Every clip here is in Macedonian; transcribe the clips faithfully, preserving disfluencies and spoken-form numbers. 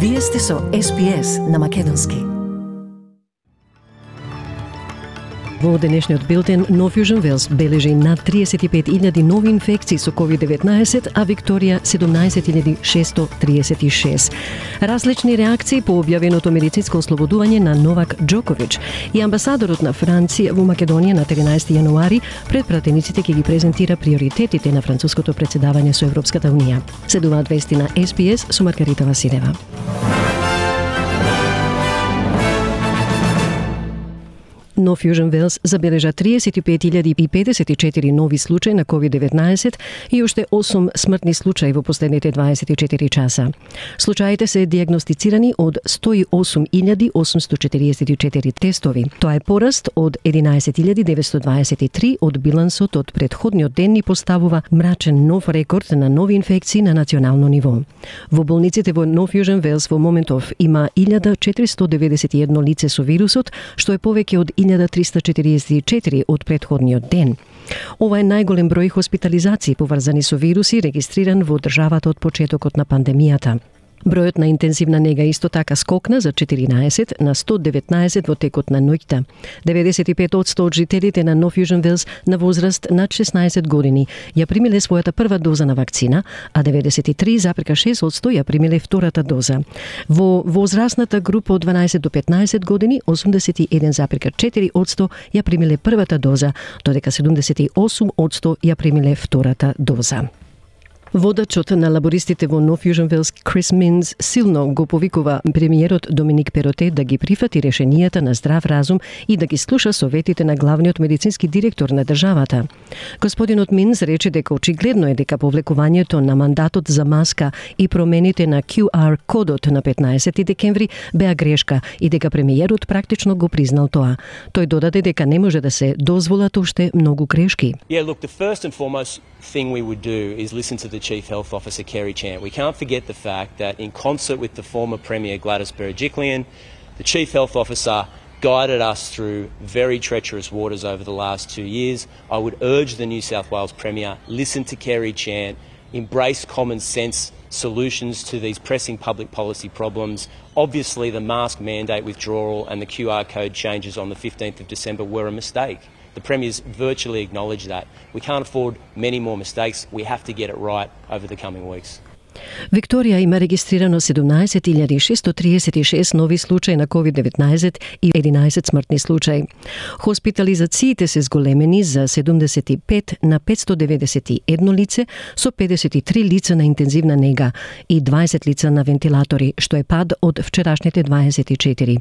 Вие сте со Ес Би Ес на Македонски. Во денешниот билтен, Нов Јужен Велс бележи над триесет и пет илјади нови инфекции со ковид деветнаесет, а Викторија седумнаесет илјади шестоста триесет и шест. Различни реакции по објавеното медицинско ослободување на Новак Џокович и амбасадорот на Франција во Македонија на тринаесети јануари пред пратениците ќе ги презентира приоритетите на француското претседавање со Европската унија. Следуваат вести на Ес Би Ес со Маргарита Василева. Нов Јужен Велс забележа триесет и пет илјади и педесет и четири нови случаи на ковид деветнаесет и уште осум смртни случаи во последните дваесет и четири часа. Случаите се диагностицирани од сто и осум илјади осумсто четириесет и четири тестови. Тоа е пораст од единаесет илјади деветсто дваесет и три од билансот од претходниот ден и поставува мрачен нов рекорд на нови инфекции на национално ниво. Во болниците во Нов Јужен Велс во моментов има илјада четиристо деветдесет и едно лице со вирусот, што е повеќе од илјада триста четириесет и четири од претходниот ден. Ова е најголем број хоспитализации поврзани со вируси регистриран во државата од почетокот на пандемијата. Бројот на интензивна нега исто така скокна за четиринаесет на сто деветнаесет во текот на ноќта. деветдесет и пет одсто од жителите на Нов Јужен Велс на возраст над шеснаесет години ја примиле својата прва доза на вакцина, а деветдесет и три зарез шест одсто ја примиле втората доза. Во возрастната група од дванаесет до петнаесет години, осумдесет и еден зарез четири одсто ја примиле првата доза, додека седумдесет и осум одсто ја примиле втората доза. Водачот на лабористите во Нов Јужен Велс Крис Минс силно го повикува премиерот Доминик Перотте да ги прифати решенијата на здрав разум и да ги слуша советите на главниот медицински директор на државата. Господинот Минс рече дека очигледно е дека повлекувањето на мандатот за маска и промените на Q R кодот на петнаесети декември беа грешка и дека премиерот практично го признал тоа. Тој додаде дека не може да се дозволат уште многу грешки. Yeah, look, the first and foremost thing we would do is listen to the Chief Health Officer, Kerry Chant. We can't forget the fact that in concert with the former Premier Gladys Berejiklian, the Chief Health Officer guided us through very treacherous waters over the last two years. I would urge the New South Wales Premier, listen to Kerry Chant, embrace common sense solutions to these pressing public policy problems. Obviously, the mask mandate withdrawal and the Q R code changes on the fifteenth of December were a mistake. The Premier's virtually acknowledged that. We can't afford many more mistakes. We have to get it right over the coming weeks. Викторија има регистрирано седумнаесет илјади шестоста триесет и шест нови случаи на ковид деветнаесет и единаесет смртни случаи. Хоспитализациите се зголемени за седумдесет и пет на петсто деветдесет и едно лице со педесет и три лица на интензивна нега и дваесет лица на вентилатори, што е пад од вчерашните дваесет и четири.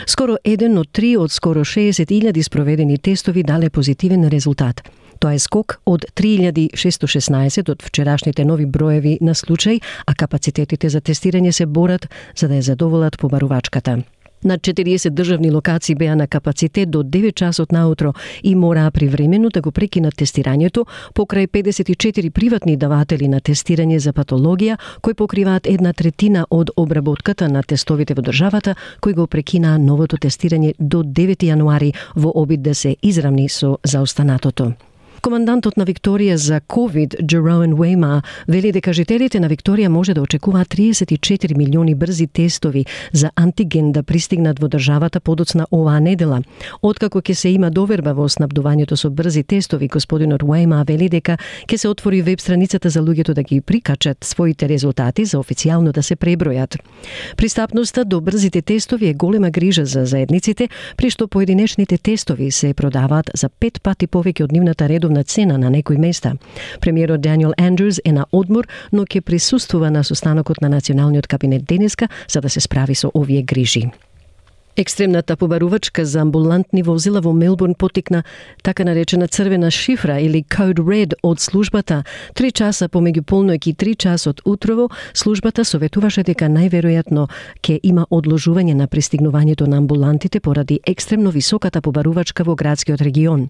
Скоро еден од три од скоро шеесет илјади спроведени тестови дале позитивен резултат. Тоа е скок од три илјади шестоста шеснаесет од вчерашните нови броеви на случаи, а капацитетите за тестирање се борат за да ја задоволат побарувачката. Над четириесет државни локации беа на капацитет до девет часот наутро и мораа привремено да го прекинат тестирањето покрај педесет и четири приватни даватели на тестирање за патологија кои покриваат една третина од обработката на тестовите во државата, кои го прекинаа новото тестирање до девети јануари во обид да се изравни со заостанатото. Командантот на Викторија за ковид, Джероен Уейма, вели дека жителите на Викторија може да очекуваат триесет и четири милиони брзи тестови за антиген да пристигнат во државата подоцна оваа недела. Откако ќе се има доверба во снабдувањето со брзи тестови, господинот Уейма вели дека ќе се отвори веб страницата за луѓето да ги прикачат своите резултати за официјално да се пребројат. Пристапноста до брзите тестови е голема грижа за заедниците, при што поединечните тестови се продаваат за пет пати повеќе од нивната редовна на цена на некои места. Премиерот Даниел Андрюс е на одмор, но ќе присуствува на состанокот на Националниот кабинет денеска за да се справи со овие грижи. Екстремната побарувачка за амбулантни возила во Мелбурн потекна така наречена црвена шифра или Code Red од службата. Три часа помеѓу полноќ и три часот утрово, службата советуваше дека најверојатно ќе има одложување на пристигнувањето на амбулантите поради екстремно високата побарувачка во градскиот регион.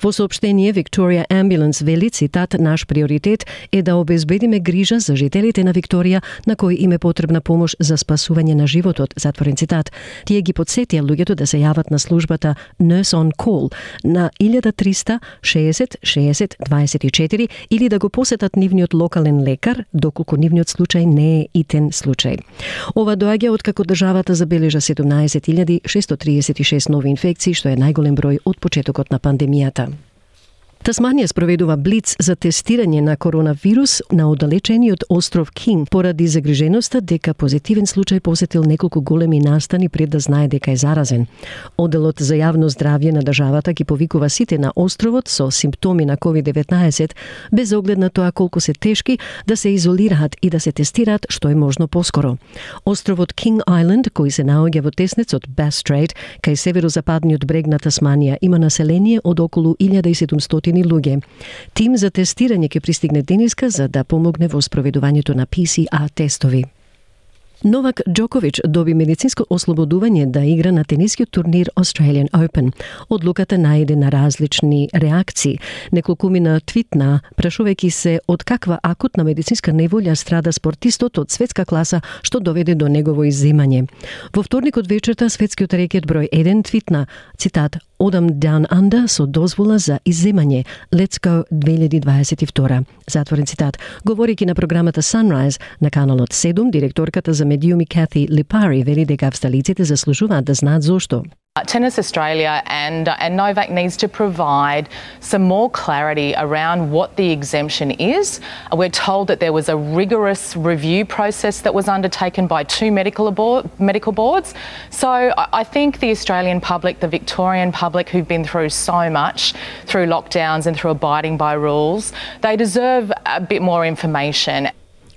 Во соопштение, Victoria Ambulance вели, цитат, наш приоритет е да обезбедиме грижа за жителите на Викторија на кои им е потребна помош за спасување на животот, затворен цитат. Тие ги потсетија луѓето да се јават на службата Nurse on Call на илјада триста шеесет шеесет дваесет и четири или да го посетат нивниот локален лекар, доколку нивниот случај не е итен случај. Ова доаѓа откако државата забележа седумнаесет илјади шестоста триесет и шест нови инфекции, што е најголем број од почетокот на пандемијата. Тасманија спроведува блиц за тестирање на коронавирус на оддалечениот остров Кинг поради загриженоста дека позитивен случај посетил неколку големи настани пред да знае дека е заразен. Одделот за јавно здравје на државата ги повикува сите на островот со симптоми на ковид деветнаесет без оглед на тоа колку се тешки да се изолираат и да се тестираат што е можно поскоро. Островот King Island, кој се наоѓа во теснецот Bass Strait, кај северозападниот брег на Тасманија, има население од околу илјада и седумстотини луѓе. Тим за тестирање ќе пристигне денеска за да помогне во спроведувањето на Пи Си Ар тестови. Новак Џокович доби медицинско ослободување да игра на тенискиот турнир Australian Open. Одлуката најде на различни реакции. Неколкумина твитна, прашувајќи се од каква акутна медицинска неволја страда спортистот од светска класа, што доведе до негово изземање. Во вторникот вечерта светскиот рекет број еден твитна, цитат, "Одам down under со дозвола за изземање. Let's go две илјади дваесет и втора." Затворен цитат. Говорејќи на програмата Sunrise на каналот седум, директорката за медиуми Кати Липари вели дека австралиците заслужуваат да знаат зошто. Tennis Australia and, uh, and Novak needs to provide some more clarity around what the exemption is. We're told that there was a rigorous review process that was undertaken by two medical, abo- medical boards. So I think the Australian public, the Victorian public who've been through so much, through lockdowns and through abiding by rules, they deserve a bit more information.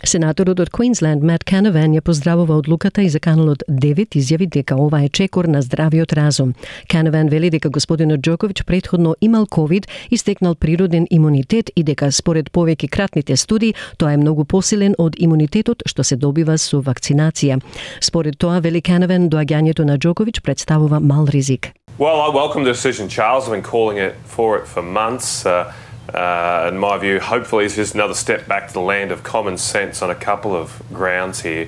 Сенаторот од Квинсленд Мат Канаван ја поздравува одлуката и за каналот девет изјави дека ова е чекор на здравиот разум. Канаван вели дека господинот Џокович претходно имал ковид и стекнал природен имунитет и дека според повеќе кратните студии тоа е многу посилен од имунитетот што се добива со вакцинација. Според тоа, вели Канаван, доаѓањето на Џокович представува мал ризик. Well, I welcome the decision, Charles. I've been calling it for it for months. Uh... Uh, in my view, hopefully it's just another step back to the land of common sense on a couple of grounds here.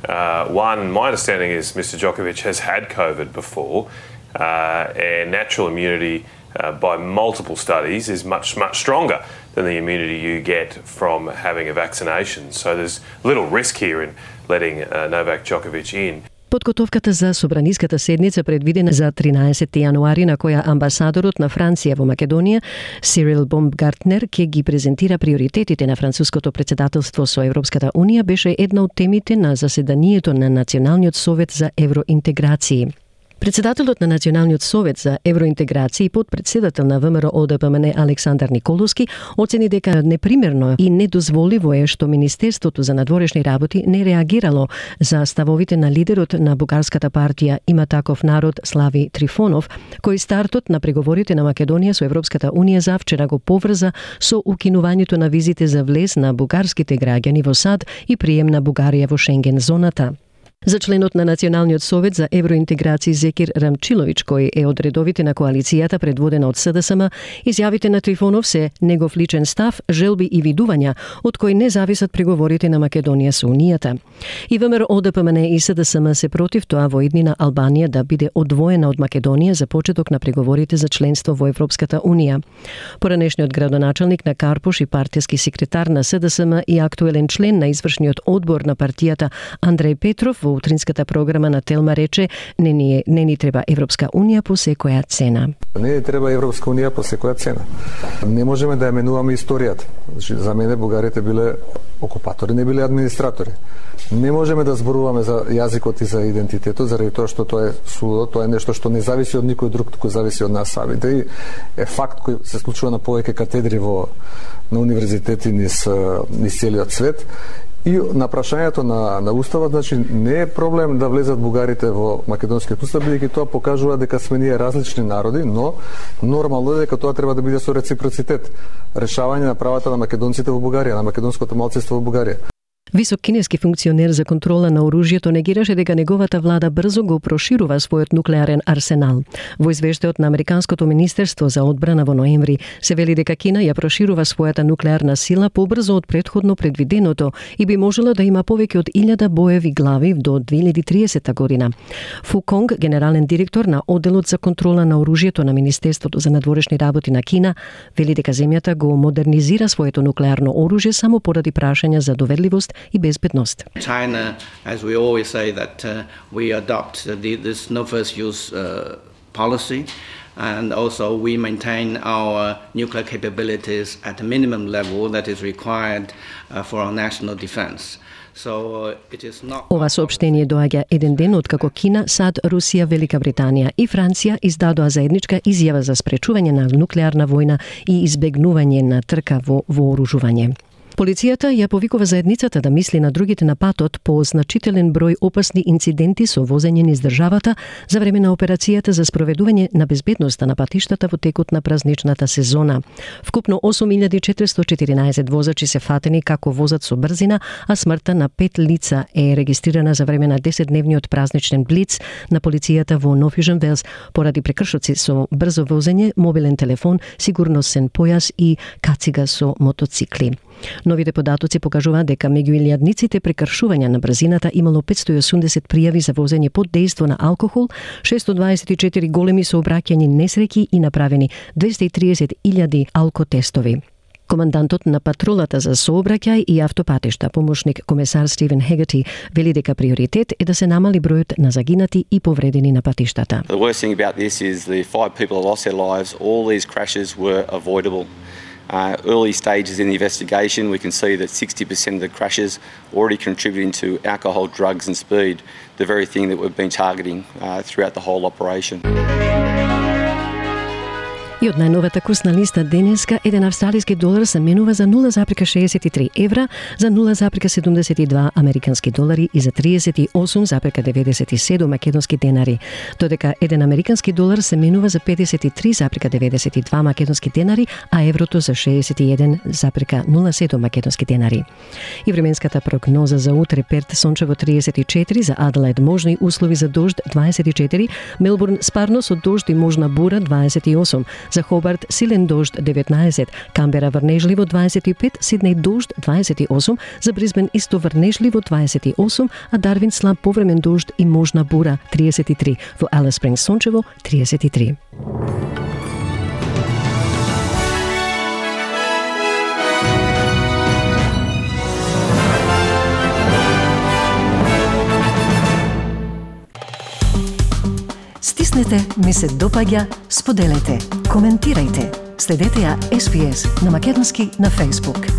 Uh, one, my understanding is Mister Djokovic has had COVID before, uh, and natural immunity uh, by multiple studies is much, much stronger than the immunity you get from having a vaccination. So there's little risk here in letting uh, Novak Djokovic in. Подготовката за собраниската седница предвидена за тринаесети јануари, на која амбасадорот на Франција во Македонија, Сирил Бомгартнер, ќе ги презентира приоритетите на француското председателство со Европската Унија, беше една од темите на заседанието на Националниот совет за евроинтеграција. Председателот на Националниот совет за евроинтеграција и подпредседател на ВМРО О Д П М Н Александар Николовски оцени дека непримерно и недозволиво е што Министерството за надворешни работи не реагирало за ставовите на лидерот на бугарската партија Има таков народ Слави Трифонов, кој стартот на преговорите на Македонија со Европската Унија завчера го поврза со укинувањето на визите за влез на бугарските граѓани во САД и прием на Бугарија во Шенген зоната. За членот на Националниот совет за евроинтеграција Зекир Рамчилович, кој е од редовите на коалицијата предводена од С Д С М, изјавите на Трифонов се негов личен став, желби и видувања, од кои не зависат преговорите на Македонија со Унијата. И ВМРО О Д П М Н и С Д С М се против тоа во иднина Албанија да биде одвоена од Македонија за почеток на преговорите за членство во Европската Унија. Поранешниот градоначалник на Карпуш и партиски секретар на С Д С М и актуелен член на извршниот одбор на партијата Андреј Петров во утринската програма на Телма рече не ни, не ни треба Европска Унија по секоја цена. Не ни треба Европска Унија по секоја цена. Не можеме да ја менуваме историјата. Значи, за мене бугарите биле окупатори, не биле администратори. Не можеме да зборуваме за јазикот и за идентитетот, заради тоа што тоа е судо, тоа е нешто што не зависи од никој друг, туку зависи од нас самите. И е факт кој се случува на повеќе катедри во на универзитети низ низ целиот свет. И на прашањето на, на Уставот, значи, не е проблем да влезат бугарите во македонскиот устав, бидејќи тоа покажува дека сме ние различни народи, но нормално е дека тоа треба да биде со реципроцитет. Решавање на правата на македонците во Бугарија, на македонското малцинство во Бугарија. Висок кинески функционер за контрола на оружјето негираше дека неговата влада брзо го проширува својот нуклеарен арсенал. Во извештајот на Американското министерство за одбрана во ноември се вели дека Кина ја проширува својата нуклеарна сила побрзо од претходно предвиденото и би можела да има повеќе од илјада боеви глави до две илјади и триесета година. Фу Конг, генерален директор на одделот за контрола на оружјето на Министерството за надворешни работи на Кина, вели дека земјата го модернизира своето нуклеарно оружје само поради прашања за доверливост и безбедност. China, as we always say, that uh, we adopt the, this no first use uh, policy, and also we maintain our nuclear capabilities at a minimum level that is required uh, for our national defense. So it is not... Ова соопштение доаѓа еден ден откако Кина, САД, Русија, Велика Британија и Франција издадоа заедничка изјава за спречување на нуклеарна војна и избегнување на трка во вооружување. Полицијата ја повикува заедницата да мисли на другите на патот по значителен број опасни инциденти со возење низ државата за време на операцијата за спроведување на безбедноста на патиштата во текот на празничната сезона. Вкупно осум илјади четиристотини и четиринаесет возачи се фатени како возат со брзина, а смртта на пет лица е регистрирана за време на десетдневниот празничен блиц на полицијата во Нов Јужен Велс поради прекршоци со брзо возење, мобилен телефон, сигурносен појас и кацига со мотоцикли. Новите податоци покажуваат дека меѓу илјадниците прекршувања на брзината имало петстотини и осумдесет пријави за возење под дејство на алкохол, шестстотини дваесет и четири големи сообраќајни несреќи и направени двесте и триесет илјади алкотестови. Командантот на патрулата за сообраќај и автопатишта, помошник комесар Стивен Хегати, вели дека приоритет е да се намали бројот на загинати и повредени на патиштата. The worst thing about this is the five people that lost their lives. All these crashes were avoidable. Uh, early stages in the investigation, we can see that sixty percent of the crashes already contributing to alcohol, drugs and speed, the very thing that we've been targeting uh, throughout the whole operation. И од најновата курсна листа денеска, еден австралиски долар се менува за нула запирка шеесет и три евра, за нула запирка седумдесет и два американски долари и за тридесет и осум запирка деветдесет и седум македонски денари, додека еден американски долар се менува за педесет и три запирка деветдесет и два македонски денари, а еврото за шеесет и еден запирка нула седум македонски денари. И временската прогноза за утре: Перт сончево триесет и четири, за Аделаид можни услови за дожд дваесет и четири, Мелбурн спарно со дожд и можна бура дваесет и осум, за Хобарт силен дожд деветнаесет, Камбера врнежливо дваесет и пет, Сиднеј дожд дваесет и осум, за Брисбен исто врнежливо дваесет и осум, а Дарвин слаб повремен дожд и можна бура триесет и три, во Алис Спрингс сончево триесет и три. Стиснете, ми се допаѓа, споделете, коментирајте. Следете ја Ес Би Ес на македонски на Facebook.